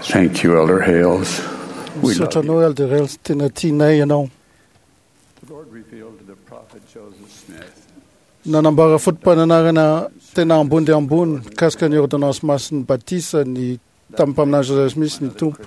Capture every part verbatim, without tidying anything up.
Thank you, Elder Hales. We Misaotra love you. anao, Elder Hales, tena tianay ianao. The Lord revealed to the prophet Joseph Smith Nanambara foto-pananarana tena ambony dia ambony mikasika ny ordonnance masin'ny batisa ny tamin'ny mpaminany Joseph Smith ny Tompo.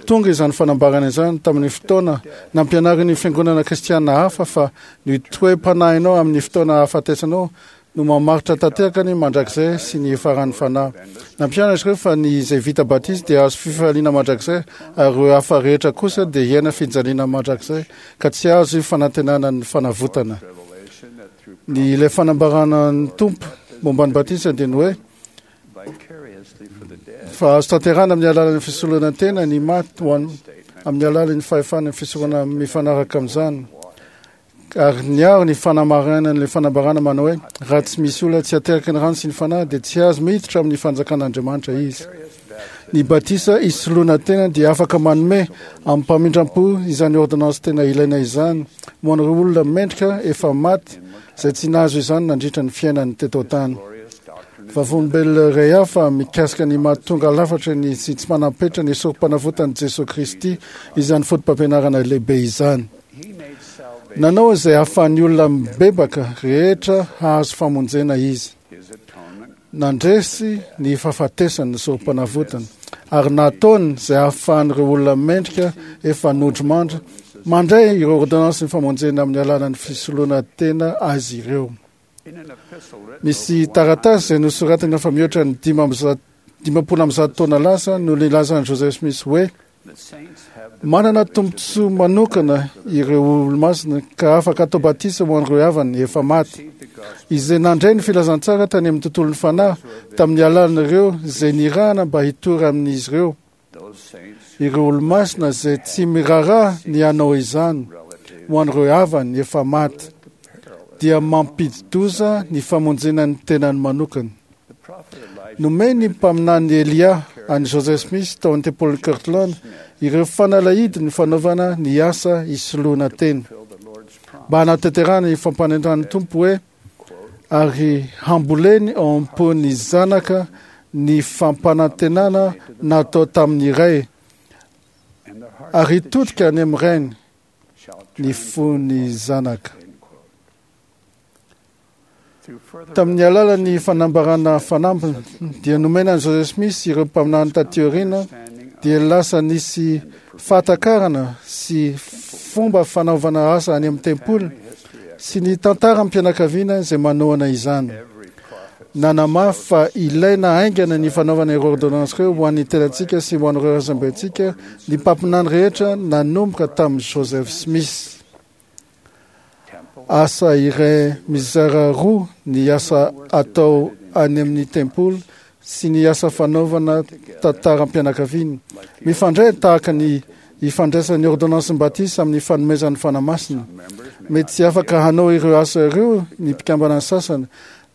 Tonga izany fanambarana izany tamin'ny fotoana nampianarin'ny fiangonana kristiana hafa fa ny toe-panahinao amin'ny fotoana ahafatesanao no mamaritra tanteraka ny mandrakizay sy ny faran'ny fanahy. Nampianatra ireo fa ny izay vita batisa dia azo fifaliana mandrakizay ary ireo hafa rehetra kosa dia hiaina fijaliana mandrakizay ka tsy azo fanantenana ny fanavotana. revelation that through Ny ilay fanambarana ny Tompo momba ny batisa dia ny hoe vicariously for the dead fa azo tanterahana amin'ny alalan'ny fisoloana tena ny maty ho an- amin'ny alalan'ny fahefana ny fisorona mifanaraka amin'izany. Ary niaro ny fanamarihana ilay fanambarana manao hoe raha tsy misy olona tsy ateraky ny rano sy ny fanahy dia tsy azo miditra amin'ny fanjakan'Andriamanitra izy. Ny batisa isoloana tena dia afaka manome amin'ny mpamindram-po izany ordonnance tena ilaina izany ho an'ireo olona mendrika efa maty izay tsy nahazo izany nandritra ny fiainany teto an-tany. glorious doctrine Vavolombelona iray hafa mikasika ny mahatonga lafatra ny sy tsy manam-petra ny sorom-panavotan'i Jesoa Kristy izany foto-pampianarana lehibe izany. he made salvation Nanao izay ahafahan'ny olona mibebaka rehetra hahazo famonjena izy. his atonement Nandresy ny fahafatesany ny sorom-panavotana ary nataony izay ahafahan'ireo olona mendrika efa nodrimandry mandray ireo ordonnance ny famonjena amin'ny alalan'ny fisoloana tena azy ireo. in an epistle written Misy taratasy izay nosoratana fa mihoatra ny dimy amby zato- dimampolo amby zato taona lasa no nilazan'i Joseph Smith hoe the saints have the manana tombontsoa manokana ireo olomasina ka afaka atao batisa ho an'ireo havany efa maty received the gospel izay nandray ny filazantsara tany amin'ny tontolon'ny fanahy tamin'ny alalan'ireo izay nirahana mba hitory amin'izy ireo those saints ireo olomasina izay tsy miraharaha ny hanao izany relative ho an'ireo havany efa maty dia mampidi-doza ny famonjena ny tenany manokana. the prophet Elijah Nomeny mpaminany Elia an'i Joseph Smith tao amin'ny tempolin'i Kirtland ireo fanalahidy ny fanaovana ny asa isoloana tena fulfilled the Lord's promise mba hanatanterahana ny fampanentan'ny Tompo hoe ary hamboleny ao am-pon'ny zanaka ny fampanantenana natao tamin'ny ray and the heart ary hitodika any amin'ny rainy shall ny turn fon'ny zanaka. end quote. Through further Tamin'ny alalan'ny fanambarana fanampiny dia nomena an'i Joseph Smith ireo mpaminany taty aoriana understanding dia lasa nisy fahatakarana sy fomba fanaovana asa any amin'ny tempoly history sy ny tantaram-pianakaviana izay manohana izany. every prophet Nanamafy fa ilaina haingana ny fanaovana ireo ordonnance ireo ho an'ny tenantsika sy ho an'ireo razambentsika ny mpaminany rehetra nanomboka tamin'i Joseph Smith. temple Asa iray mizara roa ny asa atao any amin'ny tempoly sy ny asa fanaovana tantaram-pianakaviana. Mifandray tahaka ny ifandraisan'ny ordonnance batisa amin'ny fanomezan'ny Fanahy Masina. members may Mety tsy afaka hanao ireo asa ireo ny mpikambana sasany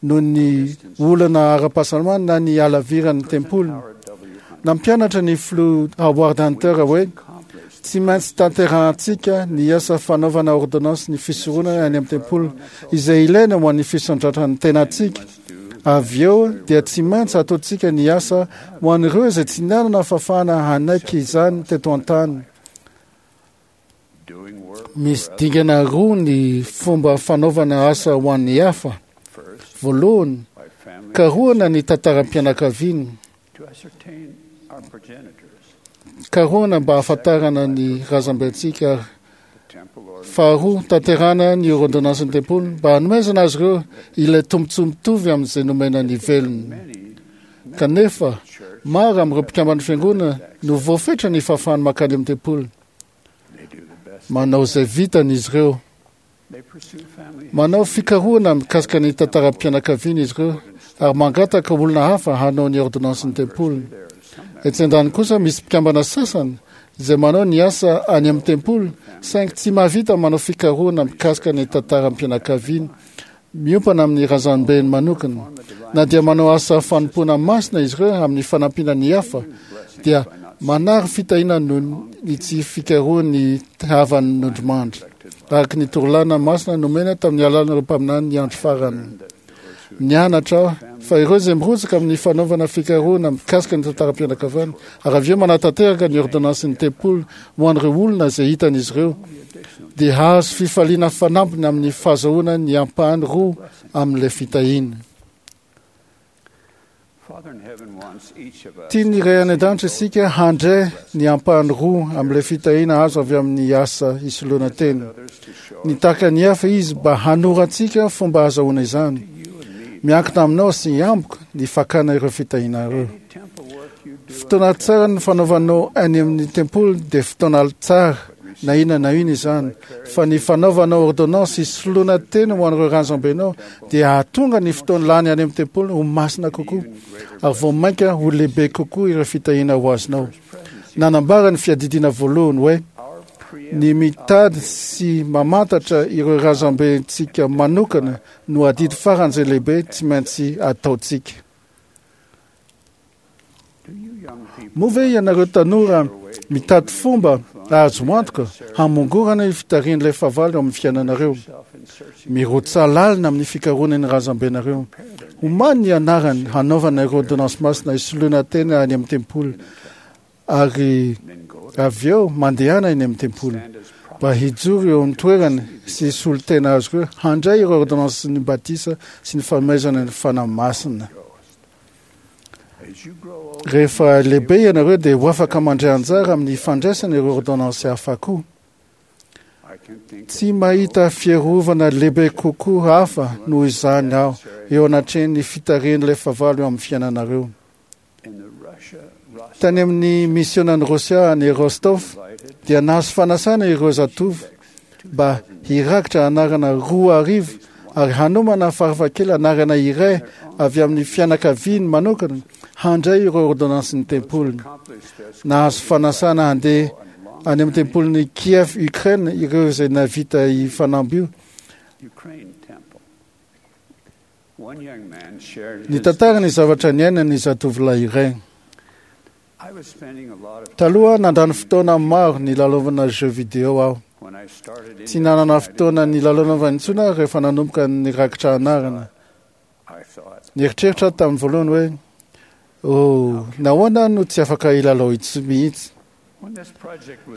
noho ny olana ara-pahasalamana na ny halaviran'ny tempoly. Howard W. Hunter Nampianatra ny filoha Howard Hunter hoe accomplished tsy maintsy tanterahantsika ny asa fanaovana ordonnance ny fisoronana any amin'ny tempoly izay ilaina ho an'ny fisandratran'ny tenantsika. must do Avy eo dia tsy maintsy ataontsika ny asa ho an'ireo izay tsy nanana fahafahana hanaiky izany teto an-tany. doing work Misy dingana roa ny fomba fanaovana asa ho an'ny hafa. first Voalohany, by family karohana ny tantaram-pianakaviana. to ascertain our progenitors Karohana mba hahafantarana ny razambentsika ary the temple or faharoa tanterahana ny ordonnance ny tempoly mba hanomezana azy ireo ilay tombontsoa mitovy amin'izay nomena ny velona. many Kanefa, church maro amin'ireo mpikamban'ny fiangonana no voafetra ny fahafahany mankany amin'ny tempoly. they do the best Manao izay vitany izy ireo. they pursue family Manao fikarohana mikasika ny tantaram-pianakaviana izy ireo ary mangataka olona hafa hanao ny ordonnance ny tempoly. there are some Etsy an-daniny kosa misy mpikambana sasany izay manao ny asa any amin'ny tempoly saingy tsy mahavita manao fikarohana mikasika ny tantaram-pianakaviana miompana amin'ny razambeny manokana. Na dia manao asa fanompoana masina izy ireo amin'ny fanampiana ny hafa dia manary fitahiana noho ny tsy fikarohany havany nodrimandry araka ny torolana masina nomena tamin'ny alalan'ireo mpaminany ny andro farany. Nianatra aho fa ireo izay mirotsaka amin'ny fanaovana fikarohana mikasika ny tantaram-pianakaviana ary avy eo manatanteraka ny ordonnansin'ny tempoly ho an'ireo olona izay hitan'izy ireo dia hahazo fifaliana fanampiny amin'ny fahazahoana ny ampahany roa amin'ilay fitahiana. Tian'ny Ray any an-danitra isika handray ny ampahany roa amin'ilay fitahiana azo avy amin'ny asa isoloana tena. Nitaka ny hafa izy mba hanoro antsika fomba ahazahoana izany. Miankina aminao sy amiko ny fakana ireo fitahiana ireo. Fotoana tsara ny fanaovanao any amin'ny tempoly dia fotoana tsara na inona na inona izany, fa ny fanaovanao ordonnance isoloana tena ho an'ireo razambenao dia hahatonga ny fotoana lany any amin'ny tempoly ho masina kokoa ary vao mainka ho lehibe kokoa ireo fitahiana ho azonao. Nanambara ny fiadidiana voalohany hoe ny mitady sy mamantatra ireo razambentsika manokana no adidy faran'izay lehibe tsy maintsy ataontsika. Moa ve ianareo tanora mitady fomba azo antoka hamongorana io fitarihan'ilay fahavalo eo amin'ny fiainanareo? Mirotsa lalina amin'ny fikarohana ny razambenareo. Omany ny anarany hanaovana ireo ordonnance masina isoloana tena any amin'ny tempoly ary avy eo mandehana eny amin'ny tempoly mba hijoro eo amin'ny toerany sy hisolo tena azy ireo handray ireo ordonnance ny batisa sy ny fanomezana ny Fanahy Masina. Rehefa lehibe ianareo dia ho afaka mandray anjara amin'ny fandraisana ireo ordonnance hafa koa. Tsy mahita fiarovana lehibe kokoa hafa noho izany aho eo anatrehan'ny fitarihan'ilay fahavalo eo amin'ny fiainanareo. Tany amin'ny misionan'i Rosia any Rostov dia nahazo fanasana ireo zatovo mba hirakitra anarana roa arivo ary hanomana farafakely anarana iray avy amin'ny fianakaviany manokana handray ireo ordonnansin'ny tempoliny. Nahazo fanasana handeha any amin'ny tempolin'i Kiev, Ukraine ireo izay navita io fanamby io. Nitantara ny zavatra niainany ny zatovolahy iray. Taloha nandany fotoana maro nilalaovana jeux vidéo aho. Tsy nanana fotoana nilalaovana intsony aho rehefa nanomboka nirakitra anarana. Nieritreritra aho tamin'ny voalohany hoe oh, nahoana no tsy afaka hilalao intsony mihitsy.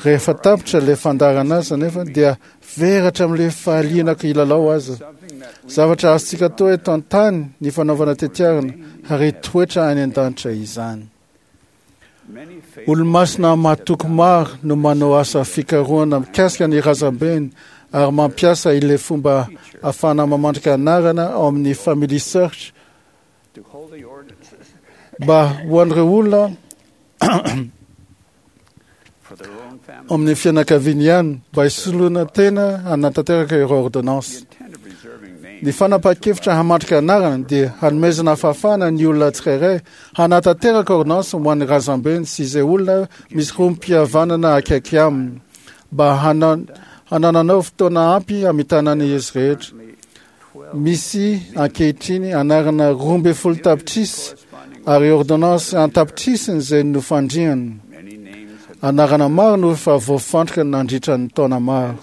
Rehefa tapitra ilay fandaharana azy anefa dia very hatramin'ilay fahalianako hilalao aza. Zavatra azontsika atao eto an-tany ny fanaovana tetiarana ary hitoetra any an-danitra izany. Olomasina mahatoky maro no manao asa fikarohana mikasika ny razambeny ary mampiasa ilay fomba ahafahana mamandrika anarana ao amin'ny Family Search mba ho an'ireo olona amin'ny fianakaviany ihany mba hisoloana tena hanatanteraka ireo ordonnance. Ny fanapahan-kevitra hamandrika anarana dia hanomezana fahafahana ny olona tsirairay hanatanteraka ordonnance ho an'ny razambeny sy izay olona misy rohim-pihavanana akaiky aminy mba hanananao fotoana ampy hamitana ny izy rehetra. Misy ankehitriny anarana roa ambin'ny folo tapitrisa ary ordonnance an-tapitrisany izay nofandriana. Anarana maro no efa voafandrika nandritra ny taona maro.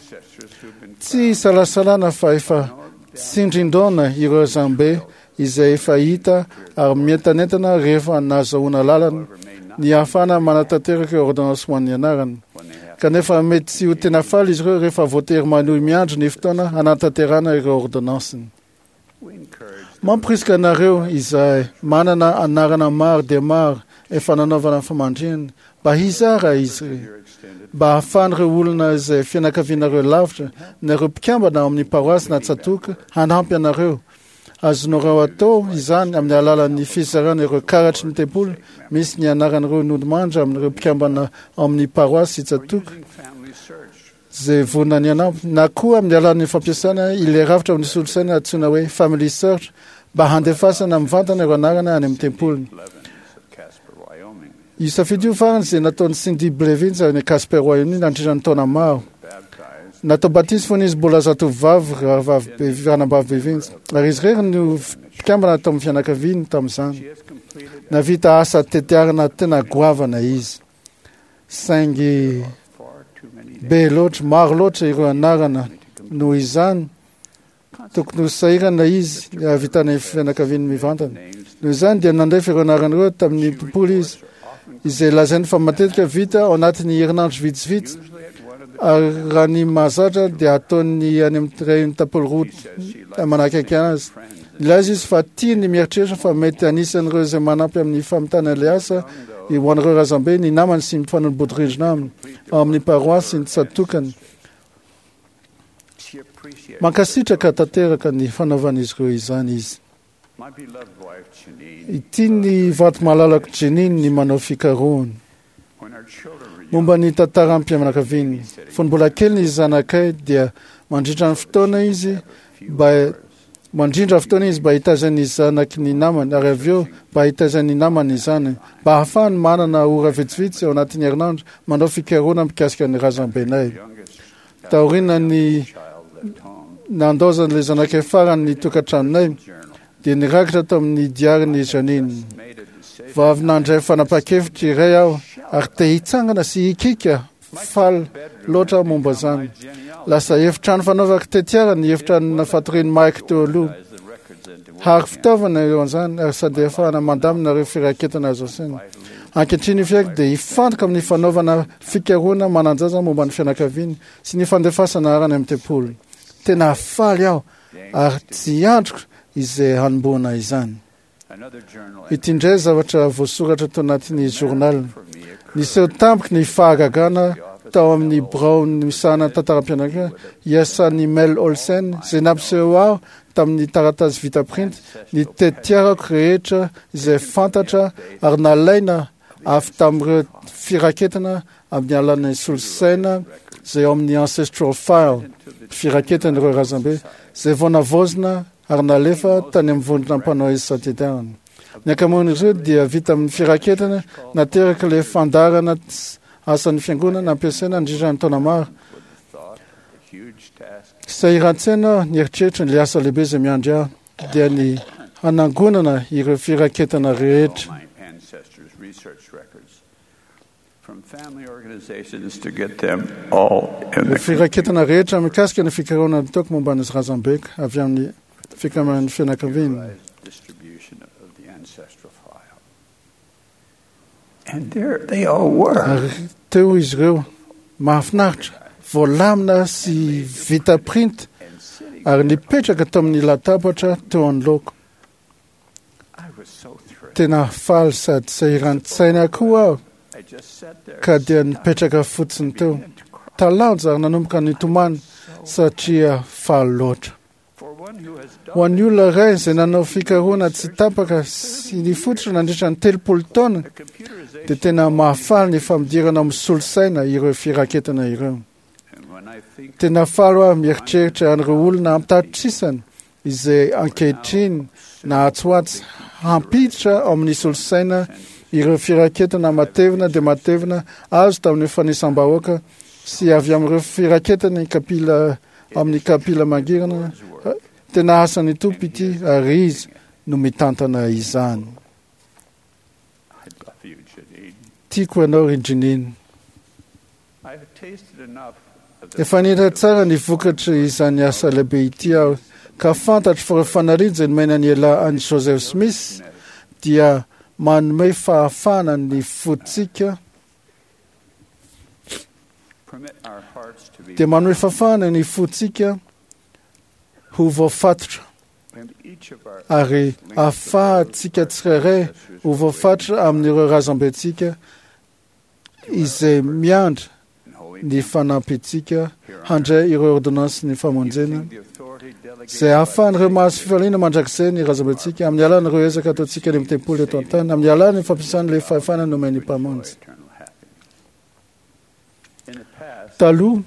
Tsy isalasalana fa efa tsindrin-daona ireo razambe izay efa hita ary mientanentana rehefa nahazahoana lalana ny ahafahana manatanteraka ireo ordonnance ho an'ny anarana. Kanefa mety tsy ho tena faly izy ireo rehefa voatery manohy miandry ny fotoana hanatanterahana ireo ordonnanceny. Mampirisika anareo izay manana anarana maro dia maro efa nanaovana famandrihana mba hizara izy ireo, mba ahafahan'ireo olona izay fianakavianareo lavitra na ireo mpikambana ao amin'ny paroasy na tsatoka hanampy anareo. Azonareo atao izany amin'ny alalan'ny fizarana ireo karatry ny tempoly misy ny anaran'ireo nodimandry amin'ireo mpikambana ao amin'ny paroasy sy tsatoka izay vonona ny hanampy, na koa amin'ny alalan'ny fampiasana ilay rafitra amin'ny solosaina antsoina hoe Family Search mba handefasana mivantana ireo anarana any amin'ny tempoliny. Io safidy io farany izay nataon'i Cindy Blevins any Casper, Wyoming nandritra ny taona maro. Natao batisa fony izy mbola zatovovavy rahavavy ranabavy Blevins ary izy irery no mpikambana tao amin'ny fianakaviany tamin'izany. Navita asa tetiarana tena goavana izy, saingy be loatra, maro loatra ireo anarana noho izany Tokony ho sahirana izy ny hahavitana ny fianakaviany mivantana. Noho izany dia nandefa ireo anarana ireo tamin'ny tempoly izy, izay lazainy fa matetika vita ao anatin'ny herinandro vitsivitsy, ary raha ny mahazatra dia ataony any amin'ny iray tampolo roa manakaiky azy. Nilaza izy fa tia ny mieritreritra fa mety anisan'ireo izay manampy amin'ny famitana ilay asa ho an'ireo razambe ny namany sy ny mpifanolo-bodirindrina aminy ao amin'ny paroasy ny tsatokany. Mankasitraka tanteraka ny fanaovan'izy ireo izany izy. Ity ny vady malalako Jeanine ny manao fikarohana momba ny tantaram-pianakaviany. Fony mbola kely ny zanakay dia mandrindra ny fotoana izy mba mandrindra fotoana izy mba hitazan'ny zanaky ny namany, ary avy eo mba hitazan'ny namany izany, mba ahafahany manana ora vitsivitsy ao anatin'ny herinandro manao fikarohana mikasika ny razambenay. Taorian'ny nandaozan'ilay zanakay farany ny tokantranonay dia nirakitra tamin'ny diarin'i Jeanine. Vao avy nandray fanapahan-kevitra iray aho ary te hitsangana sy hikika faly loatra momba izany. Lasa efitrano fanaovako tetiara ny efitrano fatorian'i Mike teo aloha. Hary fitaovana eo an'izany ary sady ahafahana mandamina ireo firaketana azo asaina. Ankehitriny io fiaiko dia hifantoka amin'ny fanaovana fikarohana manan-jaza momba ny fianakaviany sy ny fandefasana arany amin'ny tempoly. Tena faly aho ary tsy andriko izay hanombohana izany. Ity indray zavatra voasoratra tao anatin'ny journal. Niseho tampoka ny fahagagana tao amin'ny birao misahana tantaram-pianakaviana iasan'i Mel Olsen, izay nampiseho aho tamin'ny taratasy vita printy ny tetiarako rehetra izay fantatra ary nalaina avy tamin'ireo firaketana amin'ny alalan'ny solosaina izay ao amin'ny ancestral file, firaketana ireo razambe izay vao navaozina ary nalefa tany amin'ny vondrona mpanao isan-tetiarana. Ny ankamaroan'izy ireo dia vita amin'ny firaketana nateraka ilay fandaharana asan'ny fiangonana ampiasaina nandritra ny taona maro. Sahiran-tsaina ny eritreritra ny asa lehibe izay miandry ahy dia ny hanangonana ireo firaketana rehetra. My ancestors' research records from family organizations to get them all in the Firaketana rehetra mikasika ny fikarohana nataoko momba ny razambeko avy amin'ny fikambanan'ny fianakaviana. distribution of the ancestral file. And there they all were. Ary teo izy ireo, mahafinaritra, voalamina sy vita printy And sitting, ary nipetraka tamin'ny latabatra teo anoloako. I was so thrilled. Tena faly sady sahiran-tsaina koa aho I just sat there ka dia nipetraka fotsiny teo. began to cry. Talanjo ary nanomboka nitomany satria faly loatra. For one who has Ho done an'ny olona iray izay nanao fikarohana tsy tapaka sy nifototra nandritra ny telopolo taona the computerization, dia tena mahafaly ny fampidirana amin'ny solosaina ireo firaketana ireo. and when I think Tena faly aho mieritreritra an'ireo olona an-tapitrisany izay ankehitriny na atsy ho atsy hampiditra ao amin'ny solosaina ireo firaketana matevina dia matevina azo tamin'ny fanisam-bahoaka sy avy amin'ireo firaketana ny kapila amin'ny kapila mangirana. Tena asan'ny Tompo ity ary izy no mitantana izany. I love you, Janine. Tiako ianao ry Jeanine. I've tasted enough of the Efa nihita tsara ny vokatra izany asa lehibe ity aho ka fantatro fa ireo fanariana izay nomena ny ela an'i Joseph Smith dia manome fahafahana ny fontsika permit our hearts to be dia manome fahafahana ny fontsika ho voafatotra and each of our ary ahafahantsika tsirairay ho voafatotra amin'ireo razambentsika izay miandry and holy ny fanampintsika handray ireo ordonnance ny famonjena using the authority delegated izay ahafahan'ireo mahazo fifaliana mandrakizay ny razambentsika amin'ny alalan'ireo ezaka ataontsika any amin'ny tempoly eto an-tany amin'ny alalan'ny fampiasana ilay fahefana nomen'ny Mpamonjy. eternal happiness. In the past, Taloha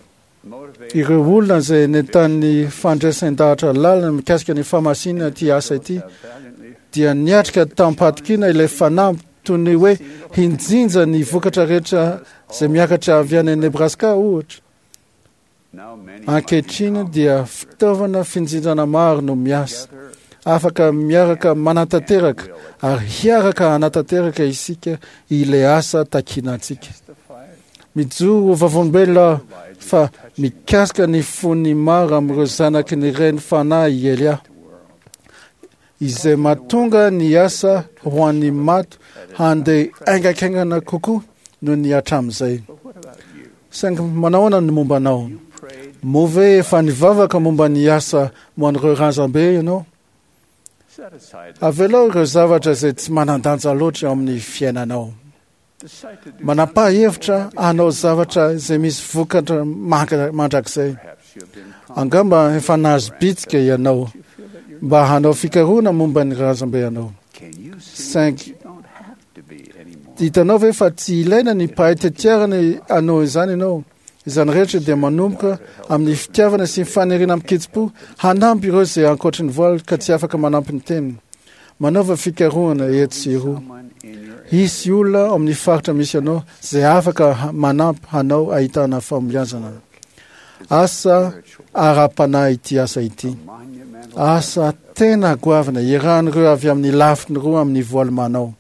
motivated ireo olona izay nentan'ny fandraisan-dahatra lalina mikasika ny famasinana ity asa ity valiantly dia niatrika tamim-pahatokiana ilay fanamby toy ny hoe hinjinja ny vokatra rehetra izay miakatra avy any Nebraska ohatra. now many Ankehitriny dia fitaovana finjinjana maro no miasa. together Afaka miaraka manatanteraka ary hiaraka hanatanteraka isika ilay asa takiana antsika. testify Mijoro ho vavolombelona fa mikasika ny fon'ny maro amin'ireo zanaky ny reny fanahy i Elia, izay mahatonga ny asa ho an'ny maty handeha haingankaingana kokoa noho ny hatramin'izay. Saingy manahoana ny momba anao? Moa ve efa nivavaka momba ny asa ho an'ireo razambe ianao? Avelao ireo zavatra izay tsy manan-danja loatra eo amin'ny fiainanao. Manapaha hevitra hanao zavatra izay misy vokatra mandrakizay. Angamba efa nahazo bitsika ianao mba hanao fikarohana momba ny razambe anao. Saingy hitanao ve fa tsy ilaina ny mpahay tetiarana hanao izany ianao? Izany rehetra dia manomboka amin'ny fitiavana sy ny faniriana amin-kitsim-po hanampy ireo izay ankoatry ny voaly ka tsy afaka manampy ny tenany. Manaova fikarohana etsy sy eroa. Hisy olona ao amin'ny faritra misy anao izay afaka manampy hanao ahitana fahombiazana. Asa ara-panahy ity asa ity. Asa tena goavana iarahan'ireo avy amin'ny lafiny roa amin'ny voaly manao.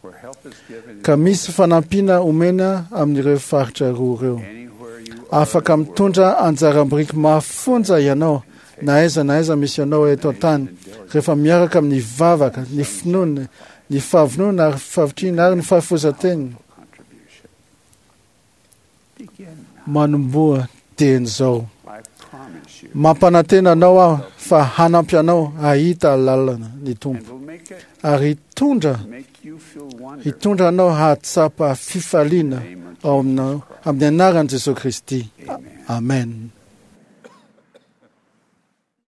Ka misy fanampiana omena amin'ireo faritra roa ireo. Afaka mitondra anjara biriky mafonja ianao na aiza na aiza misy anao eto an-tany rehefa miaraka amin'ny vavaka, ny finoana, ny fahavonona ary fahavitrihana ary ny fahafoizan-tena. Manomboha dieny izao. Mampanantena anao aho fa hanampy anao hahita lalana ny Tompo ary hitondra hitondra anao hahatsapa fifaliana ao aminao amin'ny anaran'i Jesosy Kristy. Amen.